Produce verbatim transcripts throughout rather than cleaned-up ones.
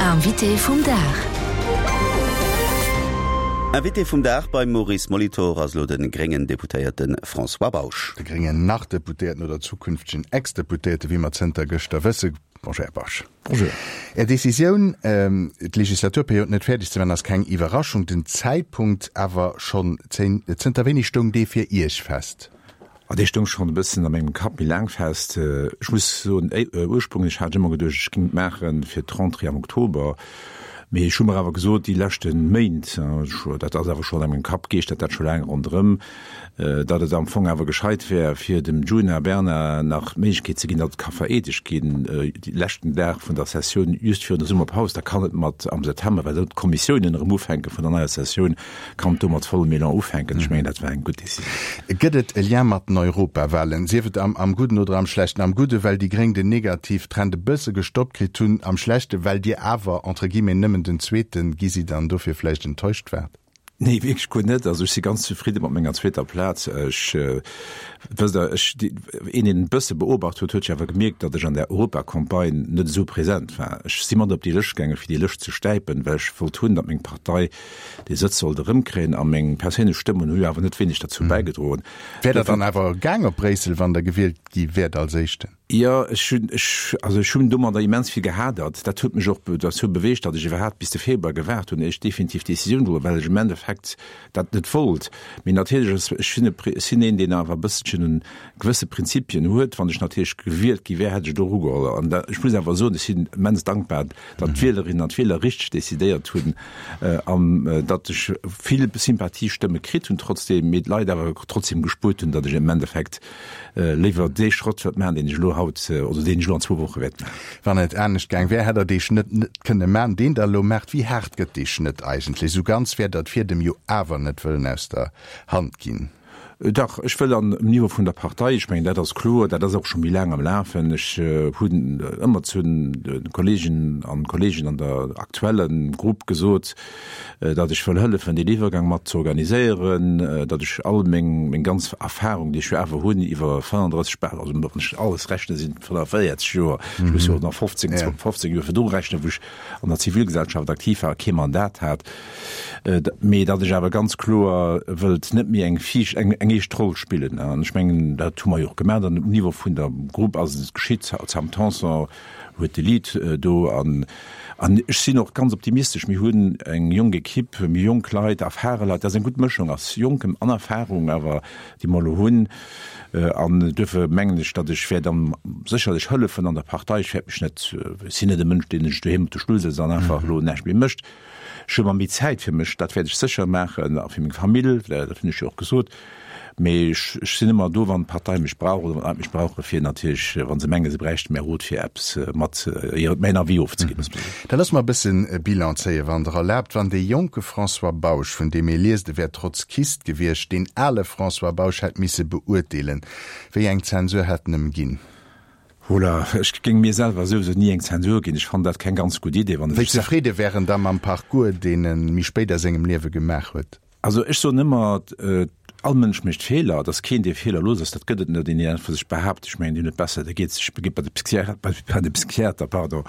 Invité vum Dag. Invité vum Dag beim Maurice Molitor ass elo de gréngen Deputéierte François Bausch. De gréngen Nach-Deputéierten oder zukünftegen Ex-Deputéierte, wéi mer zënter gëschter wësse. Bonjour, Här Bausch. Bonjour. Är Decisioun, d'Legislaturperiod net fäerdeg ze maachen, ass keng Iwwerraschung. Den Zäitpunkt awer schonn. Zënter wéini stoung dee fir Iech fest? Ah, dee stoung schonn e bëssen a mengem Kapp méi laang fest. Ech muss soen, ursprünglech hat ech ëmmer geduecht, ech géing et maache fir d'Rentrée am Oktober. Mee ech hu mer awer gesot, déi leschte Méint, dat ass awer schonn a mengem Kapp, geeschtert dat scho laang ronderëm, datt et am Fong awer gescheit wär, fir dem Djuna Bernard nach d'Méiglechkeet ze ginn, datt et ka vereedegt ginn, de leschten Dag vun der Sessioun, just virun der Summerpaus. Da kann et mat am September, well dann d'Kommissiounen erëm ufänke vun der neier Sessioun, kann do mat vollem Elan ufänken. Ech mengen, dat war eng gutt Decisioun. Gëtt et e Lien mat den Europawahlen, sief et am am Gudden oder am Schlechten? Am Gudde well déi Gréng den Negativtrend e bësse gestoppt kritt hunn, am Schlechte well Dir awer entre guillemets nëmmen den Zweete gi sidd an dofir vläicht enttäuscht waart? Nee, wierklech guer net. Also ech si ganz zefridde mat menger zweeter Plaz. Ech, wësst Der, ech, een deen e bësse beobacht huet, huet jo awer gemierkt, datt ech an där Europacampagne net esou present war. Ech si mat op déi Lëscht gaangen, fir déi Lëscht ze stäipen, well ech wollt hunn, datt meng Partei dee Sëtz sollt erëmkréien a meng perséinlech Stëmmen hu jo awer net wéineg derzou bäigedroen. Wäert Der dann awer gaang op Bréissel, wann Der gewielt gi wäert als Éischten? Jo, ech hunn, ech, also ech hunn domadder immens vill gehadert. Dat huet mech och derzou beweegt, datt ech iwwerhaapt bis de Februar gewaart hunn, éier ech definitiv d'Decisioun geholl hunn, well ech am Endeffekt dat net wollt. Mee natierlech ass, ech sinn e, ech sinn een, deen awer e bësselchen un gewësse Prinzipien huet. Wann ech natierlech gewielt gi wär, hätt ech et och ugeholl. An da, ech muss awer soen, ech sinn immens dankbar, datt d'Wielerinnen an d'Wieler richteg decidéiert hunn an datt ech vill Sympathiestëmme kritt hunn trotzdeem, mee d'Leit awer trotzdem gespuert hunn, datt ech am Endeffekt léiwer dee Schrëtt wäert maachen, deen ech elo haut oder deen ech elo an zwou Woche wäert maachen. Wann et anescht gaang wär, hätt Der dee Schnëtt net kënne maachen, deen Der elo maacht. Wéi haart gëtt dee Schnëtt eigentlech? Esou ganz wäert Der d'Fiedem jo awer net wëllen aus der Hand ginn. Dach, ech wëll an um Niveau vun der Partei, ech mengen, dat ass kloer, dat ass och scho méi laang am Lafen. Ech hunn ëmmer zu de Kolleeginnen an Kolleegen an der aktuelle Grupp gesot, datt ech wëll hëllefen, deen Iwwergang mat ze organiséieren, datt ech all meng, meng ganz Erfahrung, déi ech jo awer hunn iwwer fënnenddrësseg, bal, also wann ech alles rechnen, sinn et fënneféierzeg Joer, ech muss jo och nach fofzéng, fofzéng Joer virdru rechnen, wou ech an der Zivilgesellschaft aktiv war a kee Mandat hat, mee datt ech awer ganz kloer wëllt net méi eng viischt, eng, eng éischt Roll spillen. An ech mengen, dat hu mer jo och gemaach an um Niveau vun der Grupp ass et geschitt, d'Sam Tanson huet de Lead do an an ech sinn och ganz optimistesch. Mir hunn eng jonk Equipe, mir hu jonk Leit, erfare Leit, dat ass eng gutt Mëschung aus Jonkem an Erfahrung awer, déi mer elo hunn. An duerfir mengen ech, datt ech wäert am sécherlech hëllefen an der Partei. Ech wäert mech net, ech sinn net e Mënsch, deen sech doheem op de Stull sëtzt an einfach elo näischt méi mécht. Ech hu mer méi Zäit fir mech, dat wäert ech sécher maachen, a fir meng Famill, dat hunn ech jo och gesot. Mee ech, ech sinn ëmmer do, wann d'Partei mech brauch oder wann d'Leit mech brauchen, fir natierlech, wa se mengen, se bräichte mäi Rot fir eppes mat hir, mäin Avis ofzeginn. Da loosse mer e bëssen e Bilan zéien, wann Der erlaabt. Wann dee jonke François Bausch, vun deem ee liest, e wär Trotzkist gewiescht, deen ale François Bausch hätt misse beurteelen, wéi eng Zensur hätt en em ginn? Hola, ech géing mir selwer souwisou ni eng Zensur ginn. Ech fannen dat keng ganz gutt Idee, wann e Wéi sech. zefridde wär en da mam Parcours, deen e méi spéit a sengem Liewe gemaach huet? Also ech soen ëmmer, all Mënsch mécht Feeler, et ass keen, dee feelerlos ass, dat gëtt et net. Een, deen einfach sech behaapt, ech mengen, deen huet besser, dee geet sech, geet bei de Psychiater, bei de Psychiater, pardon.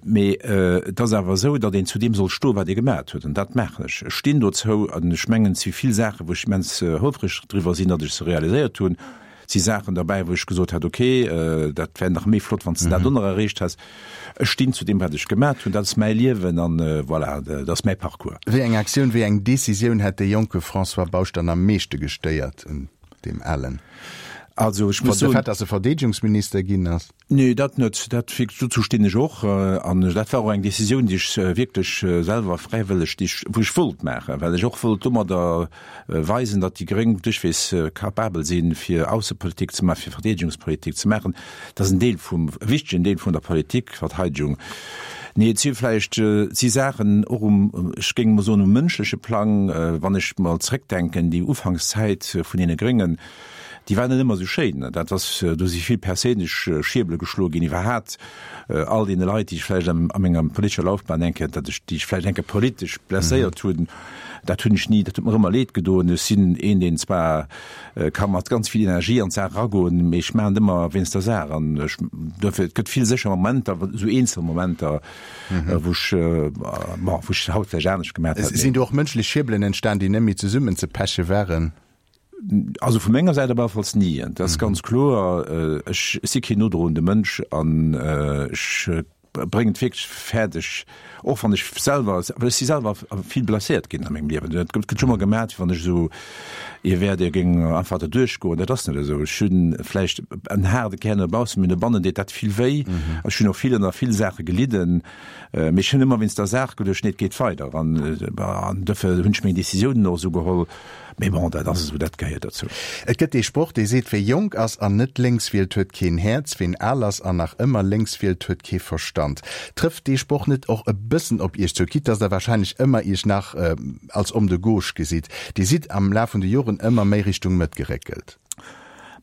Mee et ass awer esou, datt een zu deem soll stoen, wat ee gemat huet, an dat maachen ech. Ech stinn dozou an ech mengen, et si vill Saachen, wou ech immens houfreg driwwer sinn, datt ech se realiséiert hunn. Et si Saachen derbäi, wou ech gesot hätt, ok, dat wär nach méi flott, wann s de dat och nach erreecht häss. Ech stinn zu deem, wat ech gemat hunn. Dat ass mäi Liewen an voilà, dat ass mäi Parcours. Wéi eng Aktioun, wéi eng Decisioun hätt dee jonke François Bausch dann am meeschte gestéiert un deem alen? Also ech muss soen. De Fait, datt e Verdeedegungsminister ginn ass? Nee, dat net. Dat wierklech, dozou stinn ech och. An dat war och eng Decisioun, déi ech wierklech selwer fräiwëlleg, déi ech, wou ech wollt maachen, well ech och wollt domadder weisen, datt déi Gréng duerchweegs capabel sinn, fir Aussepolitik ze maachen, fir Verdeedegungspolitik ze maachen. Dat ass en Deel vum, e wichtegen Deel vun der Politik, Verteidigung. Nee, et si vläicht, et si Saachen och um, ech géing emol soen, um mënschleche Plang, wann ech mol zréckdenken, déi Ufankszäit vun deene Gréngen, Déi war net ëmmer esou schéin. Dat ass, do si vill perséinlech Schierbele geschloe ginn iwwerhat all deene Leit, déi ech vläicht a menger politescher Laufbahn eng Kéier, datt ech, déi ech vläicht eng Kéier politesch blesséiert hunn, dat hunn ech ni, dat huet mer ëmmer leed gedoen. Ech sinn een, deen zwar ka mat ganz vill Energie an d'Saach eragoen, mee ech maachen et ëmmer wéinst der Saach. An ech, duerfir, et gëtt vill sécher Momenter, esou eenzel Momenter, wou ech, bon, wou ech haut vläicht anescht gemaach hätt. Sinn do och mënschlech Schierbelen entstan, déi net méi zesummenzepeche waren? Also vu menger Säit op alle Falls ni. Dat ass ganz kloer. Ech si keen nodroende Mënsch an ech bréngen et wierklech fäerdeg, och wann ech selwer, well ech si selwer vill blesséiert ginn a mengem Liewen. Et gëtt scho mol gemat, wéi wann ech esou ee wär, dee géing einfach derduerch goen. Dat ass net esou. Ech hunn vläicht en haarde Kär no baussen, mee no bannen deet dat vill wéi. Ech hunn och vill ënner vill Saache gelidden, mee ech hunn ëmmer wéinst der Saach geduecht, nee, et geet weider. An dofir hunn ech meng Decisiounen och esou geholl. Mee bon, dat ass esou, dat gehéiert dozou. Et gëtt dee Sproch, dee seet, Wie jonk ass an net lénks wielt, huet keen Häerz, ween al ass an nach ëmmer lénks wielt, huet kee Verstand. Trëfft dee Sproch net och e bëssen op Iech zou, quitte dass Der wahrscheinlech ëmmer Iech nach als Homme de gauche gesitt? Dir sidd am Laf vun de Joren ëmmer méi Richtung Mëtt geréckelt.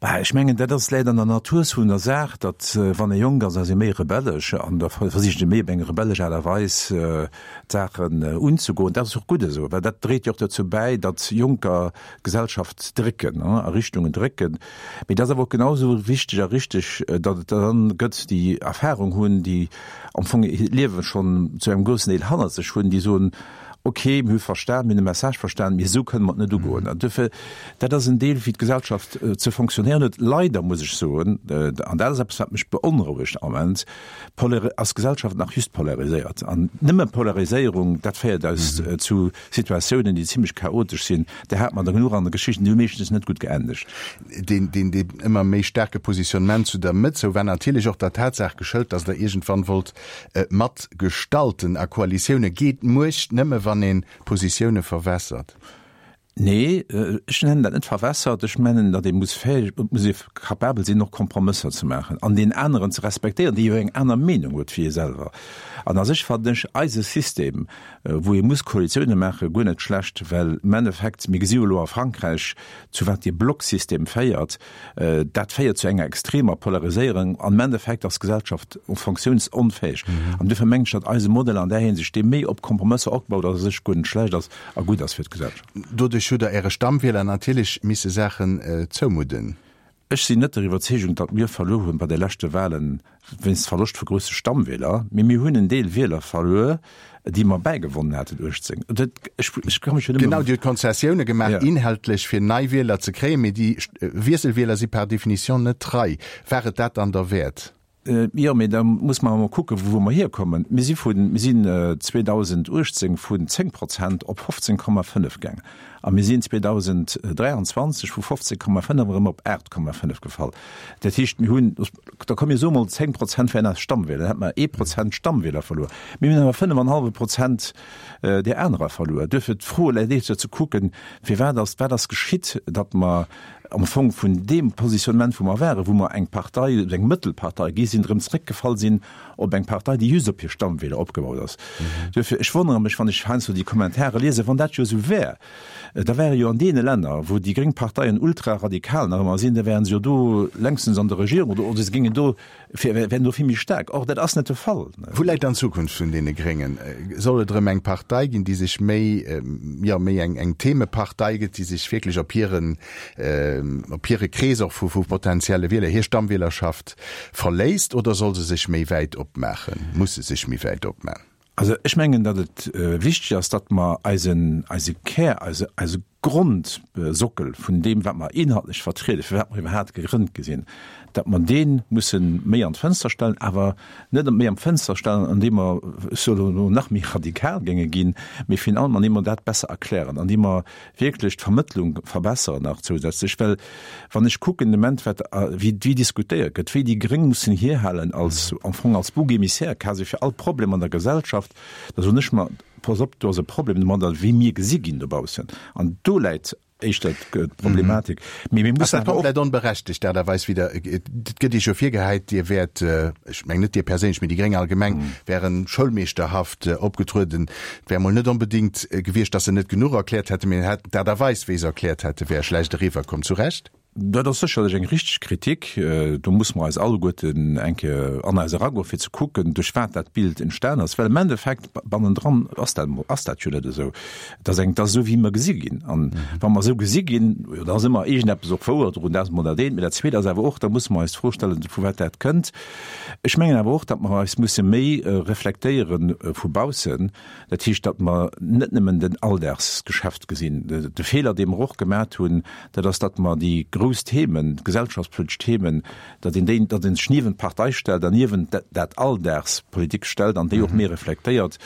Bah, ech mengen, dat ass, läit an der Natur vun der Saach, datt wann ee jonk ass, ass ee méi rebellesch an da versicht ee méi op eng rebellesch Aart a Weis d'Saachen unzegoen. Dat ass och gutt esou, well dat dréit jo och dozou bäi, datt Jonker d'Gesellschaft drécken, a Richtungen drécken. Mee et ass awer och genau esou wichteg a richteg, datt et der dann gëtt, déi Erfahrung hunn, déi am Fong hiert Liewe schonn zu engem groussen Deel hannert sech hunn, déi soen, Ok, mir hu verstan, mir hunn de Message verstan, mee esou kënne mer et net ugoen. An duerfir, dat ass en Deel, wéi d'Gesellschaft ze fonctionnéieren huet. Leider muss ech soen, an dat ass eppes, wat mech beonrouegt am Moment, ass d'Gesellschaft nach just polariséiert. An nëmme Polariséierung, dat féiert eis zu Situatiounen, déi zimlech chaotesch sinn. Där hate mer der genuch an der Geschicht, déi hu meeschtens net gutt geendegt. Deen, deen, deen ëmmer méi staarke Positionnement zu der Mëtt zou war natierlech och der Tatsaach geschëlt, datt Der iergendwann wollt mat gestalten. A Koalitioune geet Muecht nëmme wann een Positioune verwässert. Nee, ech nennen dat net verwässert. Ech mennen, datt ee muss fäeg, et muss ee capabel sinn, och Kompromësser ze maachen an deen aneren ze respektéieren, dee jo eng aner Meenung huet wéi ee selwer. An a sech fannen ech eise System, wou ee muss Koalitioune maachen, guer net schlecht, well am Endeffekt, mir gesi jo elo a Frankräich, zu wat dee Blocksystem féiert. Dat féiert zu enger extremer Polariséierung an am Endeffekt ass d'Gesellschaft funktiounsonfäeg. An duerfir mengen ech, datt eise Modell an där Hinsicht, dee méi op Kompromësser opgebaut ass, a sech guer net schlecht ass a gutt ass fir d'Gesellschaft. Doduerch hutt Der Äre Stammwieler natierlech misse Saachen zoumudden. Ech sinn net der Iwwerzeegung, datt mir verluer hunn bei de leschte Wahlen wéinst Verloscht vu grousse Stammwieler, mee mir hunn en Deel Wieler verluer, déi mer bäigewonnen haten uechtzéng. Ech, ech ka mech jo nëmme. Genau, Dir hutt Konzessioune gemaach, inhaltlech, fir nei Wieler ze kréien, mee déi Wiesselwieler si par définition net trei. War et dat dann derwäert? Jo, mee da muss mer emol kucken, vu wou mer hierkommen. Mir si vun, mir sinn zweedausenduechtzéng vun zéng Prozent op fofzéng Komma fënnef gaang a mir sinn zweedausenddräianzwanzeg vu fofzéng Komma fënnef erëm op aacht Komma fënnef gefall. Dat heescht, mir hunn, da komm mir soe mol zéng Prozent wären eis Stammwieler, dann hätte mer ee Prozent Stammwieler verluer. Mir hunn awer fënnef an e hallwe Prozent där anerer verluer. Duerfir d'Fro läit éischter ze kucken, firwat ass, wat ass geschitt, datt mer am Fong vun deem Positionnement, wou mer waren, wou mer eng Partei, eng Mëttelpartei gi sinn, erëm zréckgefall sinn op eng Partei, déi just op hir Stammwieler opgebaut ass. Duerfir, ech wonnere mech, wann ech heiansdo déi Kommentare liesen, wann dat jo esou wär, da wäre jo an deene Länner, wou déi gréng Parteien ultraradikal nach ëmmer sinn, da wären se jo do längstens an der Regierung oder se géingen do, wären do vill méi staark. Or, dat ass net de Fall. Wou läit dann d'Zukunft vun deene Gréngen? Soll et erëm eng Partei ginn, déi sech méi, jo, méi eng, eng Themepartei gëtt, déi sech wierklech op hiren, op hire Krees och vu, vu potenzielle Wieler, hir Stammwielerschaft verléisst, oder soll se sech méi wäit opmaachen, muss se sech méi wäit opman? Also ech mengen, datt et wichteg ass, datt mer eisen, eise Kär, eise, eise Grondsockel vun deem, wat mer inhaltlech vertrieden, firwat mer iwwerhaapt gegrënnt gi sinn, datt mer dee musse méi an d'Fënster stellen, awer net méi an d'Fënster stellen, andeem mer, ech soen elo, nach méi radikal géinge ginn, mee virun allem andeem mer dat besser erklären, andeem mer wierklech d'Vermëttlung verbesseren nach zousätzlech. Well wann ech kucken de Moment, wat, wéi, wéi diskutéiert gëtt, wéi déi Gréng mussen hierhalen als, am Fong als Bouc émissaire quasi fir all Problem an der Gesellschaft, da soen ech mer, Pass op, do ass e Problem domadder, wéi mir gesi ginn dobaussen. An do läit éischter d'Problematik. Mee mir mussen awer och. Ass dat komplett onberechtegt, d'Aart a Weis, wéi Der, et gëtt Iech jo virgehäit, Dir wäert, ech mengen net Dir perséinlech, mee déi Gréng allgemeng, wären schoulmeeschterhaft opgetrueden. Et wär emol net onbedéngt gewiescht, datt se net genuch erkläert hätten, mee d'Aart a Weis, wéi se erkläert hätten, wär schlecht eriwwerkomm. Zu Recht? Dat ass sécherlech eng richteg Kritik. Do musse mer eis alleguerten eng Kéier an eis eragoen, fir ze kucken, duerch wat dat Bild entstan ass. Well am Endeffekt, bannendran ass dat, ass dat jo net esou. Et ass eng, et ass esou, wéi mer gesi ginn. An wa mer esou gesi ginn, jo, da ass ëmmer iergendeppes och wouer drun, dat ass emol dat eent. Mee dat Zweet ass awer och, da musse mer eis d'Fro stellen, vu wat dat kënnt. Ech mengen awer och, datt mer eis musse méi reflektéiere vu baussen. Dat heescht, datt mer net nëmmen den Alldagsgeschäft gesinn. De Feeler, dee mer och gemat hunn, dat ass, datt mer déi grouss Themen, gesellschaftspolitesch Themen, datt een déi, datt een sech niewent d'Partei stellt an niewent dat Alldagspolitik stellt an déi och méi reflektéiert,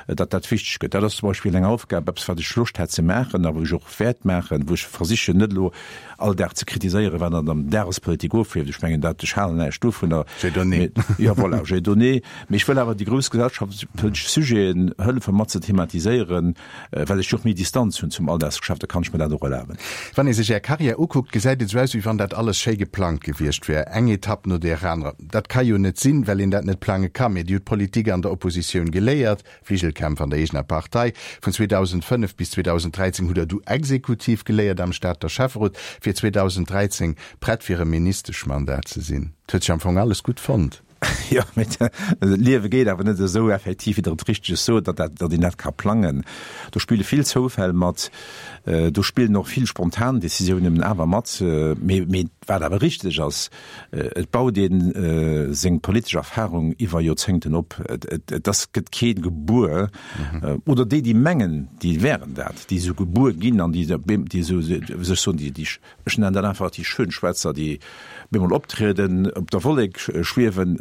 datt dat wichteg gëtt. Dat ass zum Beispill eng Aufgab, eppes wat ech Loscht hätt ze maachen a wou ech och wäert maachen, wou ech versichen net elo all Dag ze kritiséieren, wat an der Dagespolitik ofleeft. Ech mengen dat, ech halen näischt dovunner. J'ai donné. Jo, voilà, j'ai donné. Mee ech wëll awer déi grouss gesellschaftspolitesch Sujeten hëllefe mat ze thematiséieren, well ech jo och méi Distanz hunn zum Alldagsgeschäft, da kann ech mir dat och erlaben. Wann ee sech Är Karriär ukuckt, gesäit et esou aus, wéi wann dat alles schéi geplangt gewiescht wär, eng Etapp no där anerer. Dat ka jo net sinn, well een dat net plange kann. Mee Dir hutt Politik an der Oppositioun geléiert, Fligelkämpf an der eegener Partei. Vun zweedausendfënnef bis zweedausendräizéng hutt Der du Exekutiv geléiert am Stater Schäfferot, fir zweedausendräizéng prett fir e Ministeschmandat ze sinn. Et huet sech am Fong alles gutt fonnt. Jo, mee d'Liewe geet awer net esou effektiv, wéi Der et richteg sot, datt dat, datt een dat ka plangen. Do spille vill Zoufäll mat, do spillen och vill spontan Décisiounen awer mat. Mee, mee wat awer richteg ass, et baut ee seng politesch Erfahrung iwwer Joerzéngten op. Et, et, et ass, gëtt kee gebuer, oder déi, déi mengen, déi wären dat, déi esou gebuer ginn an déi, déi esou, wéi soll ech soen, déi, déi, ech nennen dat einfach déi Schönschwätzer, déi bemol optrieden, op der Wollek schwiewen,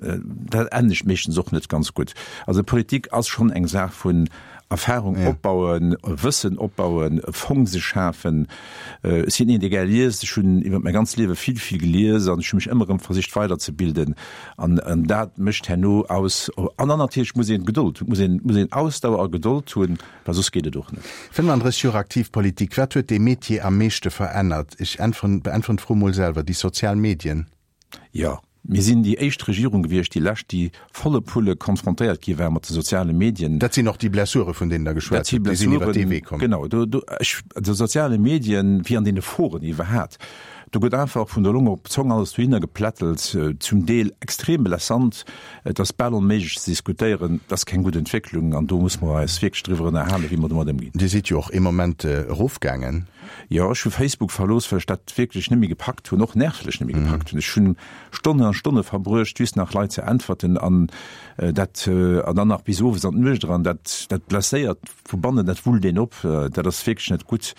dat endegt meeschtens och net ganz gutt. Also Politik ass schonn eng Saach vun Erfahrung opbauen, Wëssen opbauen, e Fong sech schafen. Ech sinn een, dee gär liest. Ech hunn iwwer mäi ganzt Liewe vill, vill gelies an ech hu mech ëmmer erëm versicht weiderzebilden. An dat mécht herno aus. An dann natierlech muss een Gedold hunn, muss een, muss een Ausdauer a Gedold hunn, well soss geet et och net. fënnefandrësseg Joer aktiv Politik, wat huet dee Metier am meeschte verännert? Ech äntweren, beäntweren d'Fro mol selwer, déi sozial Medien. Jo, mir sinn déi éischt Regierung gewiescht, déi lescht, déi volle Pulle konfrontéiert gi war mat de soziale Medien. Dat sinn och déi Blessure, vun deenen Der geschwat hutt, déi sinn iwwer dee Wee komm. Genau, do, do, ech, de soziale Medien, wéi an deene Foren iwwerhat, do gëtt einfach vun der Long op d'Zong alles dohinner geplättelt, zum Deel extrem blessant. Et ass bal onméiglech ze diskutéieren. Dat ass keng gutt Entwécklung an do muss mer eis wierklech driwwer ënnerhalen, wéi mer domat ëmginn. Dir sidd jo och ee Moment erofgaangen. Jo, ech hu Facebook verlooss, well ech dat wierklech net méi gepackt hunn, och nervlech net méi gepackt hunn. Ech hunn Stonnen a Stonne verbruecht, just nach Leit ze äntwerten an dat an dann nach bis owes an d'Nuecht eran. Dat, dat blesséiert vu bannen, dat wullt een op. Dat ass wierklech net gutt.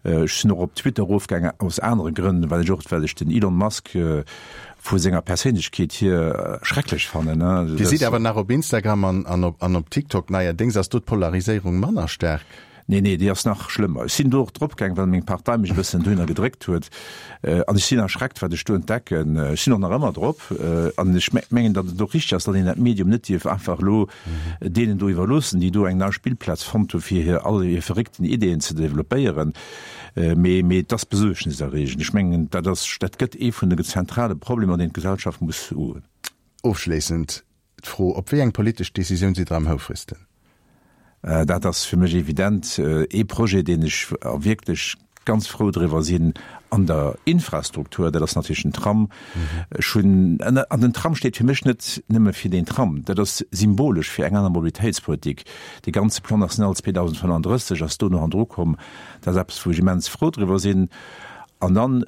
Ech sinn och op Twitter erofgaangen aus anere Grënn, well ech och, well ech den Elon Musk vu senger Perséinlechkeet hier schrecklech fannen. Dir sidd awer nach op Instagram an an op an op TikTok neierdéngs. Ass do d'Polariséierung manner staark? Nee, nee, déi ass nach schlëmmer. Ech sinn do och drop gaang, well meng Partei mech e bëssen dohinner gedréckt huet. An ech sinn erschreckt, wat ech do entdecken. Ech sinn och nach ëmmer drop. An ech mengen, datt et och richteg ass, datt een dat Medium net dierf einfach elo deenen do iwwerloossen, déi do eng nei Spillplaz fonnt hu fir hir all hir verréckten Ideeën ze developpéieren. Mee, mee et ass besuergniserreegend. Ech mengen, dat ass, dat gëtt ee vun de zentrale Problemer, deen d'Gesellschaft muss ugoen. Ofschléissend d'Fro, Op wéi eng politesch Decisioun sidd Der am houfrigsten? Dat ass fir mech evident ee Projet, deen ech wierklech ganz frou driwwer sinn an der Infrastruktur, dat ass natierlech den Tram. Ech hunn, an den Tram steet fir mech net nëmme fir deen Tram, dat ass symbolesch fir eng aner Mobilitéitspolitik. Dee ganze Plan national zweedausendfënnenddrësseg ass do no handru komm. Dat ass eppes, wou ech immens frou driwwer sinn. An dann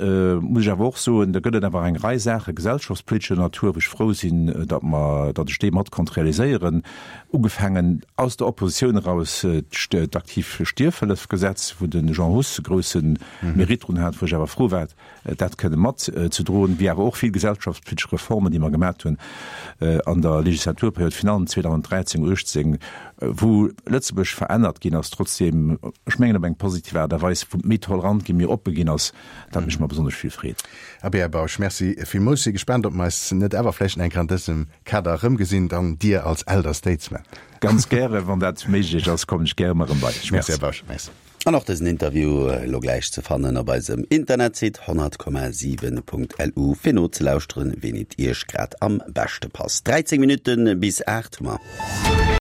muss ech awer och soen, da gëtt et awer eng Rei Saache gesellschaftspolitescher Natur, wou ech frou sinn, datt mer, datt ech déi mat konnt realiséieren, ugefaangen aus der Oppositioun eraus d'aktiv Stierfhëllefgesetz, wou de Jean Huss e grousse Mérite drun hat, wou ech awer frou war, dat kënne mat ze droen, wéi awer och vill gesellschaftspolitesch Reformen, déi mer gemat hunn an der Legislaturperiod, virun allem zweedausendräizéng, uechtzéng, wou Lëtzebuerg verännert ginn ass, trotzdem, ech mengen op eng positiv Aart a Weis, wou méi tolerant ginn, méi oppe ginn ass, dat mécht mer besonnesch vill Freed. Abee, Här Bausch, merci villmools. Si gespaant, ob mer eis net awer vläicht nach eng Kéier an dësem Kader erëmgesinn, dann Dir als Elder Statesman. Ganz gäre, wann dat méiglech ass, kommen ech gäre erëm bei Iech. Merci, Här Bausch. Merci. An och dësen Interview elo gläich ze fannen op eisem Internetsite honnert Komma siwen Punkt lu fir nozelauschteren, ween et Iech grad am beschte passt. dräizéng Minutte bis aacht hu mer.